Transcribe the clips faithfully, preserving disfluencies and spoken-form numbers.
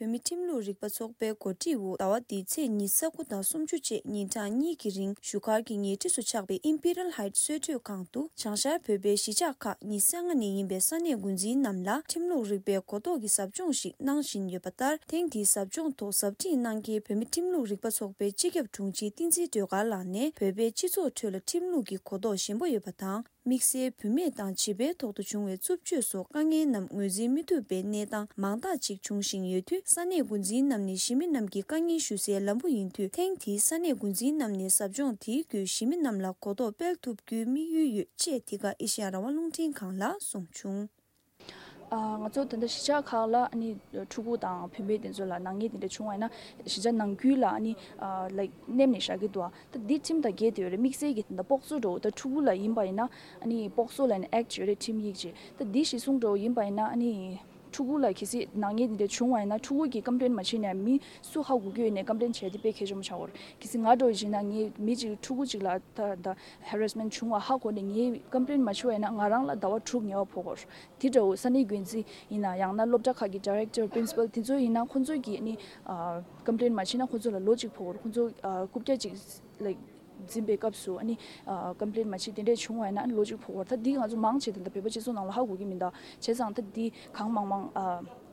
བོད་མི་ཁྲིམས་ལུགས་རིག་པ་ཚོགས་པའི་གོ་སྒྲིག་འོག་ཟླ་བ་འདིའི་ཚེས་ཉི་ཤུ་རྩ་དགུ་དང་སུམ་ཅུ་བཅས་ཉིན་གྲངས་གཉིས་ཀྱི་རིང་བཞུགས་སྒར་གྱི་ཉེ་འཁྲིས་སུ་ཆགས་པའི་ཨིམ་པི་རལ་ཧའིཊ་གསོལ་མགྲོན་ཁང་དུ་བྱང་ཤར་བོད་པའི་གཞིས་ཆགས་ཁག་ཉེར་ལྔ་ནས་ཡིན་པའི་ས་གནས་འགོ་འཛིན་རྣམས་ལ་ཁྲིམས་ལུགས་རིག་པའི་གོ་རྟོགས་ཀྱི་ཟབ་སྦྱོང་ཞིག་གནང་བཞིན་ཡོད་པ་ལྟར། ཐེངས་འདིའི་ཟབ་སྦྱོང་ཐོག་ཟབ་ཁྲིད་གནང་མཁན་བོད་མི་ཁྲིམས་ལུགས་རིག་པ་ཚོགས་པའི་སྤྱི་ཁྱབ་དྲུང་ཆེ་བསྟན་འཛིན་སྒྲོལ་དཀར་ལགས་ནས། བོད་པའི་སྤྱི་ཚོགས་ཁྲོད་ལ་ཁྲིམས་ལུགས་ཀྱི་གོ་རྟོགས་ཞན་པོ་ཡོད་པ་དང་། དམིགས་བསལ་བུད་མེད་དང་བྱིས་པའི་ཐོག་ཏུ་བྱུང་བའི་རྩུབ་སྤྱོད་སོགས་དཀའ་ངལ་རྣམས་ངོས་འཛིན་མི་ཐུབ་པའི་གནས་སྟངས་མང་དག་ཅིག་འབྱུང་བཞིན་ཡོད་དུས། ས་གནས་འགོ་འཛིན་རྣམས་ནས་གཞིས་མི་རྣམས་ཀྱི་དཀའ་ངལ་ཞུ་སའི་ལམ་བུ་ཡིན་དུས། ཐེངས་འདིའི་ས་གནས་འགོ་འཛིན་རྣམས་ནས་ཟབ་སྦྱོང་དེའི་བརྒྱུད་གཞིས་མི་རྣམས་ལ་གོ་རྟོགས་སྤེལ་ཐུབ་རྒྱུའི་དམིགས་ཡུལ་ཡོད་ཅེས་འདི་ག་ཨེ་ཤེ་ཡ་རང་དབང་རླུང་འཕྲིན་ཁང་ལ་གསུངས་བྱུང་། ཨ། ང་ཚོ་ད་ལྟ་གཞིས་ཆགས་ཁག་ལ་ཨ་ནི་ཕྲུ་གུ་དང་བུད་མེད་དེ་ཚོ་ལ་ནག་ཉེས་དེ་འདྲ་བྱུང་བ་ཡིན་ན། གཞིས་ཆགས་ནང་ཁུལ་ལ་ཨ་ནི་ཨ་ལའིཀ་མནན་ནས་བཞག་གི་འདུག་ཨ། ད་འདི་ཁྲིམས་དང་འགལ་བསྡད་ཡོད་རེད། དམིགས་བསལ་གྱི་ད་ལྟ་པོག་སོ་འདྲ་བོ། ད་ཕྲུ་གུ་ལ་ཡིན་པ་ཡིན་ན་ཨ་ནི་པོག་སོ་ལབ་ནས་ཨེཀཊ་ཡོད་རེད། ཁྲིམས་ཡིག་ཅིག་ད་འདི་གཞིར་བཟུང་འདྲ་བོ་ཡིན་པ་ཡིན་ན་ཨ་ནི་ཕྲུ་གུ་ལ་གལ་སྲིད་ནག་ཉེས་འདི་འདྲ་བྱུང་བ་ཡིན་ན། ཕྲུ་གུ་གིས་ཀམ་པི་ལེན་མ་བྱས་ནས་མི་སུ་ཧ་གོ་གི་ཡོད་ནས་ཀམ་པི་ལེན་བྱས་དེ་དཔེ་གལ་ཆེན་པོ་ཆགས་ཡོད་རེད། གལ་སྲིད་ང་འདྲ་བོ་ཡིན་ན་ངས་མི་གཅིག་ཕྲུ་གུ་གཅིག་ལ་ད་ད་ཧེ་རེ་སི་མེན་ཊི་བྱུང་བ་ཧ་གོ་ནས་ངས་ཀམ་པི་ལེན་མ་བྱས་པ་ཡིན་ན། ང་རང་ལ་ཟླ་བ་དྲུག་ཉེས་པ་ཕོག་གི་ཡོད་རེད། དེ་འདྲ་བོ་ས་གནས་འགན་འཛིན་ཡིན་ན། ཡང་ན་སློབ་གྲྭ་ཁག་གི་ཌི་རེག་ཊར་པི་རིན་སི་པལ་དེ་ཚོ་ཡིན་ན། ཁོང་ཚོ་གིས་ནི་ཨ་ཀམ་པི་ལེན་མ་བྱས་ན་ཁོང་ཚོ་ལ་ལོ་གཅིག་ཕོག་གི་རེད། ཁོང་ཚོ་ཨ་རྐུབ་བཀྱག་ཅིག་ལའིཀ་འཛིན་པའི་སྐབས་སུ་ཨ་ནི་ཨ་ཀམ་པི་ལེན་མ་བྱས་དེ་འདྲས་བྱུང་བ་ཡིན་ན་ལོ་གཅིག་ཕོག་གི་རེད། ད་འདི་ང་ཚོ་མང་ཆེ་ད་ལྟ་བོད་པ་སྤྱི་ཚོགས་ནང་ལ་ཧ་གོ་གི་མི་འདུག་བྱས་ཙང་ད་འདི་གང་མང་མང་ཨ་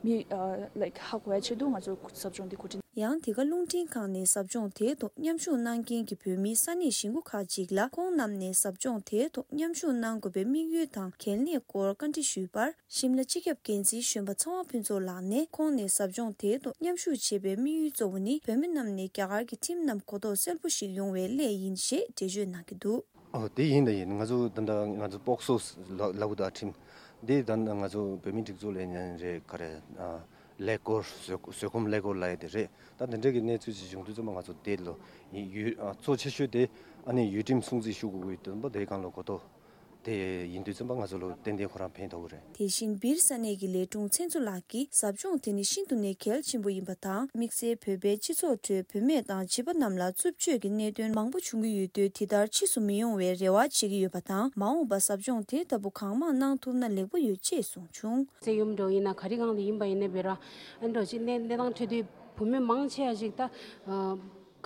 མི་ཨ་ལའིཀ་ཧ་གོ་ཡ་ཆེད་དུ་ང་ཚོ་ཟབ་སྦྱོང་འདི་གོ་སྒྲིག་ཡང་དེ་ག་རླུང་འཕྲིན་ཁང་ནས་ཟབ་སྦྱོང་དེའི་ཐོག་མཉམ་ཞུགས་གནང་མཁན་གྱི་བོད་མིའི་ས་གནས་གཞིས་འགོ་ཁག་ཅིག་ལ། ཁོང་རྣམས་ནས་ཟབ་སྦྱོང་དེའི་ཐོག་མཉམ་ཞུགས་གནང་དགོས་པའི་དམིགས་ཡུལ་དང་། གལ་གནད་སྐོར་བཀའ་འདྲི་ཞུས་པར། ཤིམ་ལ་སྤྱི་ཁྱབ་འགན་འཛིན་གཞོན་པ་ཚེ་དབང་ཕུན་ཚོགས་ལགས་ནས། ཁོང་ནས་ཟབ་སྦྱོང་དེའི་ཐོག་མཉམ་ཞུགས་བྱེད་པའི་དམིགས་ཡུལ་གཙོ་བོ་ནི། བོད་མི་རྣམས་ནས་རྒྱ་གར་གྱི་ཁྲིམས་རྣམས་གོ་རྟོགས་གསལ་པོ་ཞིག་ཡོང་བའི་སླད་ཡིན་ཞེས་འགྲེལ་བརྗོད་གནང་གི་འདུག་ཨོ། དེ་ཡིན་ད་ཡིན། ང་ཚོ་ད་ལྟ་ང་ཚོ་པོག་སོ་ལབ་ལབ་གི་འདུག་ཁྲིམས་འདི་ད་ལྟ་ང་ཚོ་བོད་མིའི་སྒྲིག་འཛུགས་ལས་ཉན་རེད། ག་རེ་ཨ་ཀླད་ཀོར་བཟོད་བཟོད་སྒོམ་ཀླད་ཀོར་ལབ་ཡ་དེ་རེད། ད་དེ་འདྲ་གི་གནས་ཚུལ་ཅིག་བྱུང་དུས་ཙམ་པ་ང་ཚོ་དེ་ལོ་ཡི་ཡུལ་ཨ་གཙོ་ཆེ་ཤོས་དེ་ཨ་ནི་ཡུལ་ཁྲིམས་སྲུང་བརྩི་ཞུ་དགོས་ཀྱི་དོན་པ་དེའི་སྒང་ལ་གོ་རྟོགས་དེ་ཡིན་དུས་ཙམ་པ་ང་ཚོ་ལ་ཏན་ཏན་ཁོ་རང་ཕན་ཐོགས་ཀྱི་རེད། དེ་བཞིན་སྦིར་ས་གནས་ཀྱི་ལས་དྲུང་ཚེ་མཚོ་ལགས་ཀྱིས་ཟབ་སྦྱོང་དེ་ནི་ཤིན་ཏུ་ནས་གལ་ཆེན་པོ་ཡིན་པ་དང་། དམིགས་བསལ་བོད་པའི་སྤྱི་ཚོགས་ཁྲོད་བུད་མེད་དང་བྱིས་པ་རྣམས་ལ་རྩུབ་སྤྱོད་ཀྱི་གནད་དོན་མང་པོ་བྱུང་གི་ཡོད་དུས། དེ་ལྟར་ཕྱིས་སུ་མི་ཡོང་བའི་རེ་བ་བྱེད་ཀྱི་ཡོད་པ་དང་། མ་འོངས་པར་ཟབ་སྦྱོང་དེ་ལྟ་བུ་གང་མང་གནང་ཐུབ་ན་ལེགས་པོ་ཡོད་ཅེས་གསུངས་བྱུང་། སེ་ཡུམ་འགྲོ་ཡིན་ན་ག་རེ་སྒང་ལ་ཡིན་པ་ཡིན་ན་བེ་ར་ཨ་འགྲོ་ཅིག་གནས་གནས་སྟངས་འཕྲོད་དུས་བུད་མེད་མང་ཆེ་བ་ཞིག་ད་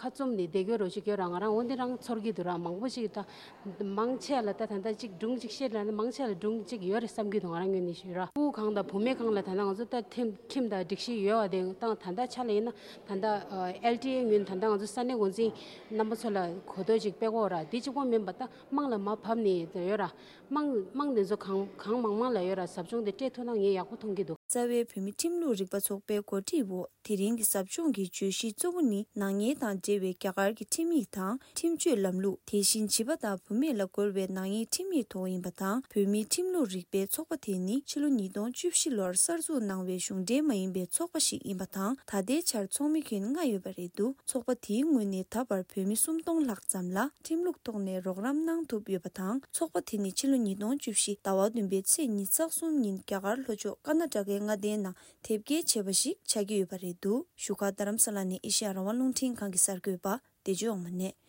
ཁ་བཙུམ་ནས་བསྡད་རྒྱུ་རོ་ཞིག་ཡོད་ར། ང་རང་འོ་འདི་རང་ཚོར་གྱི་འདུག་ར། མང་པོ་ཞིག་ད་མང་ཆེ་ལ་ད་ད་ལྟ་ཅིག་སྒྲུང་ཅིག་བཤད་ལ་ནི་མང་ཆེ་ལ་སྒྲུང་ཅིག་ཡོད་རེད་བསམ་གྱི་འདུག་ང་རང་ངོས་ནས་ཞུས་ར། ཕྲུ་གུ་གང་དང་བུད་མེད་གང་ལ་ད་ལྟ་ང་ཚོ་ད་ཁྲིམས་ཁྲིམས་དང་སྒྲིག་གཞི་ཡོད་པ་དེ་དང་། ད་ལྟ་ཆ་ལ་ཡིན་ན་ད་ལྟ་ཨེལ་ཊི་ཨེ་ངོས་ནས་ད་ལྟ་ང་ཚོ་ས་གནས་འགོ་འཛིན་རྣམ་པ་ཚོ་ལ་གོ་རྟོགས་ཅིག་སྤེལ་དགོས་ར། དེ་གཅིག་པོ་མིན་པ་ད་དམངས་ལ་མར་ཕབ་ནས་ཡོད་ར། དམངས་དམངས་དེ་ཚོ་གང་གང་མང་མང་ལ་ཡོད་ར། ཟབ་སྦྱོང་དེ་སྤྲད་ཐུབ་ན་ངས་ཡག་པོ་མཐོང་གི་འདུག་རྩ་བའི་བོད་མི་ཁྲིམས་ལུགས་རིག་པ་ཚོགས་པའི་གོ་སྒྲིག་འོག་དེ་རིང་གི་ཟབ་སྦྱོང་གི་བརྗོད་གཞི་གཙོ་བོ་ནི། ནག་ཉེས་དང་འབྲེལ་བའི་རྒྱ་གར་གྱི་ཁྲིམས་ཡིག་དང་། ཁྲིམས་གཅོད་ལམ་ལུགས། དེ་བཞིན་བྱིས་པ་དང་བུད་མེད་ལ་རྒོལ་བའི་ནག་ཉེས་ཁྲིམས་ཡིག་ཐོག་ཡིན་པ་དང་། བོད་མིའི་ཁྲིམས་ལུགས་རིག་པའི་ཚོགས་པ་དེ་ནི་ཕྱི་ལོ་ཉིས་སྟོང་བཅུ་བཞི་ལོར་གསར་འཛུགས་གནང་བའི་གཞུང་འབྲེལ་མ་ཡིན་པའི་ཚོགས་པ་ཞིག་ཡིན་པ་དང་། ད་ལྟའི་ཆར་ཚོགས་མི་ཁྱོན་ལྔ་ཡོད་པ་རེད་འདུག་ཚོགས་པ་དེའི་ངོས་ནས་ད་བར་བོད་མི་སུམ་སྟོང་ལྷག་ཙམ་ལ་ཁྲིམས་ལུགས་ཐོག་ནས་རོགས་རམ་གནང་ཐུབ་ཡོད་པ་དང་། ཚོགས་པ་དེ་ནི་ཕྱི་ལོ་ཉིས་སྟོང་བཅུ་བཞི་ཟླ་བ་བདུན་པའི་ཚེས་ཉི་ཤུ་རྩ་གསུམ་ཉིན་རྒྱ་གར་ལྷོ་ཕྱོགས་ཀར་ན་ཊ་ཀའི་མངའ་སྡེའི་ནང་དེབ་སྐྱེལ་བྱས་པ་ཞིག་ཆགས་ཀྱི་ཡོད་པ་རེད་འདུག་བཞུགས་སྒར་རྡ་རམ་ས་ལ་ནས་ཨེ་ཤེ་ཡ་རང་དབང་རླུང་འཕྲིན་ཁང་གི་གསར་འགོད་པ་བདེ་སྤྱོད་དབང་མོ་ནས།